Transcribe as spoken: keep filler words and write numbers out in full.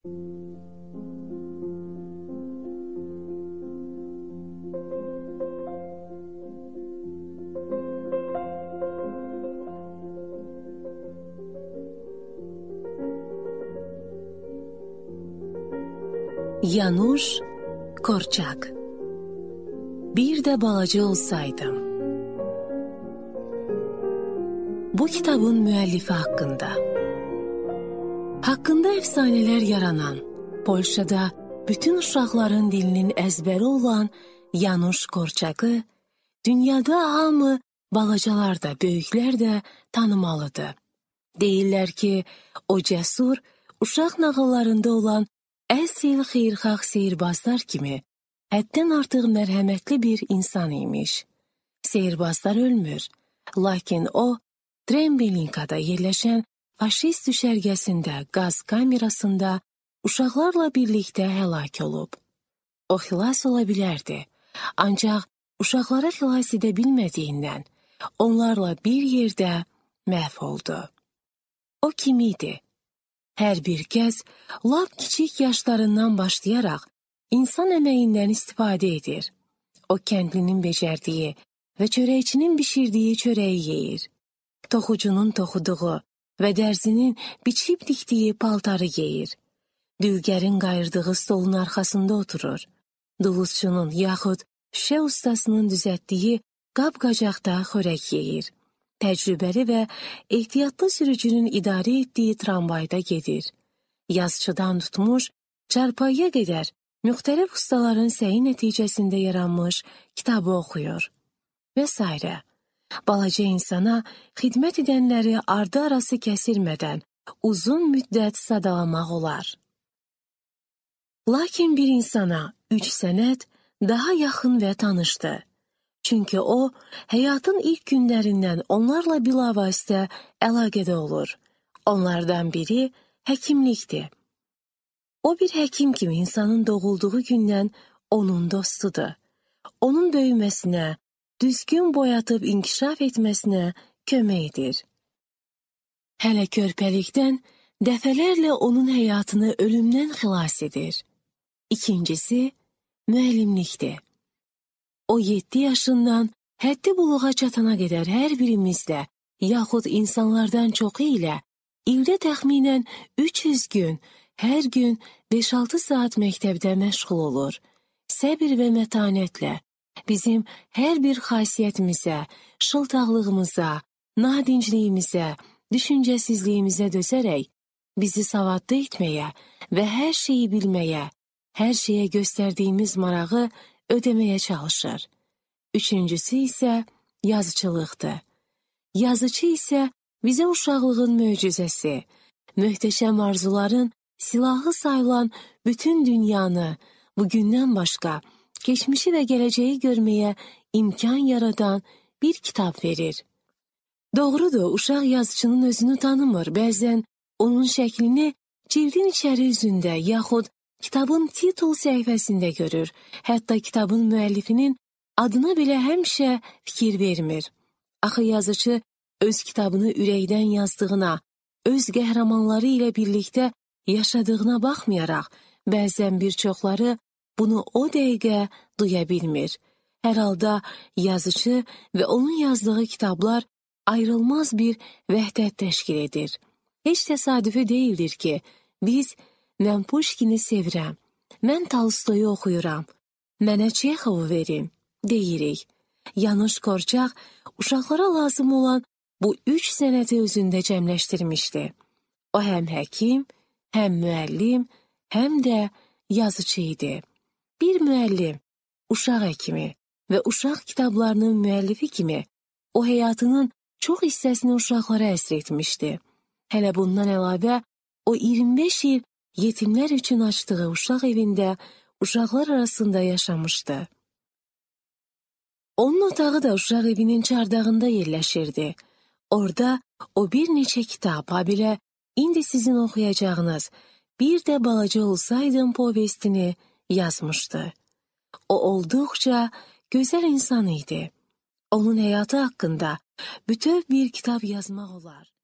Yanush Korczak. Bir de balaca olsaydım. Bu kitabın müəllifi haqqında. Haqqında efsaneler yaranan, Polşada bütün uşaqların dilinin əzbəri olan Yanush Korczakı, dünyada hamı, balacalar da, böyüklər də tanımalıdır. Deyirlər ki, o cəsur, uşaq nağıllarında olan əsil xeyirxah seyirbazlar kimi həddən artıq mərhəmətli bir insan imiş. Seyirbazlar ölmür, lakin o, Trembelinkada yerləşən faşist düşərgəsində qaz kamerasında uşaqlarla birlikdə həlak olub. O xilas ola bilərdi, ancaq uşaqları xilas edə bilmədiyindən onlarla bir yerdə məhv oldu. O kim idi? Hər bir kəs lap kiçik yaşlarından başlayaraq insan əməyindən istifadə edir. O kəndlinin becərdiyi və çörəkçinin bişirdiyi çörəyi yeyir. Toxucunun toxuduğu və dərzinin biçib dikdiyi paltarı geyir. Dülgərin qayırdığı stolun arxasında oturur. Duluzçunun yaxud şüşə ustasının düzəltdiyi qab-qacaqda xörək yeyir. Təcrübəli və ehtiyatlı sürücünün idarə etdiyi tramvayda gedir. Yazıçıdan tutmuş, çarpayıya qədər müxtəlif ustaların səyi nəticəsində yaranmış kitabı oxuyur və s. Balaca insana xidmət edənləri ardı arası kəsilmədən uzun müddət sadalamaq olar. Lakin bir insana üç sənət daha yaxın və tanışdı. Çünki o, həyatın ilk günlərindən onlarla bilavasitə əlaqədə olur. Onlardan biri həkimlikdir. O bir həkim kimi insanın doğulduğu gündən onun dostudur. Onun böyüməsinə, düzgün boyatıb inkişaf etməsinə kömək edir. Hələ körpəlikdən dəfələrlə onun həyatını ölümdən xilas edir. İkincisi, müəllimlikdir. O yeddi yaşından həddi buluğa çatana qədər hər birimizlə, yaxud insanlardan çoxu ilə ildə təxminən üç yüz gün, hər gün beş altı saat məktəbdə məşğul olur. Səbir və mətanətlə bizim hər bir xasiyyətimizə, şıltaqlığımıza, nadincliyimizə, düşüncəsizliyimizə dözərək bizi savadlı etməyə və hər şeyi bilməyə, hər şeyə göstərdiyimiz marağı ödəməyə çalışır. Üçüncüsü isə yazıçılıqdır. Yazıcı isə bizə uşaqlığın möcüzəsi, möhtəşəm arzuların silahı sayılan bütün dünyanı, bugündən başqa, keçmişi və gələcəyi görməyə imkan yaradan bir kitab verir. Doğrudur, uşaq yazıçının özünü tanımır, bəzən onun şəklini cildin içəri üzündə yaxud kitabın titul səhifəsində görür, hətta kitabın müəllifinin adına belə həmişə fikir vermir. Axı yazıcı öz kitabını ürəkdən yazdığına, öz qəhrəmanları ilə birlikdə yaşadığına baxmayaraq, bəzən bir çoxları bunu o dəqiqə duya bilmir. Hər halda yazıcı və onun yazdığı kitablar ayrılmaz bir vəhdət təşkil edir. Heç təsadüfi deyildir ki, biz mən Puşkini sevirəm, mən Tolstoyu oxuyuram, mənə Çexovu verin, deyirik. Yanush Korczak uşaqlara lazım olan bu üç sənəti özündə cəmləşdirmişdi. O həm həkim, həm müəllim, həm də yazıcı idi. Bir müəllim, uşaq həkimi və uşaq kitablarının müəllifi kimi o həyatının çox hissəsini uşaqlara əsr etmişdi. Hələ bundan əlavə o iyirmi beş il yetimlər üçün açdığı uşaq evində uşaqlar arasında yaşamışdı. Onun otağı da uşaq evinin çardağında yerləşirdi. Orada o bir neçə kitab, habelə indi sizin oxuyacağınız Bir de balaca olsaydım povestini yazmışdı. O olduqca gözəl insan idi. Onun həyatı haqqında bütöv bir kitab yazmaq olar.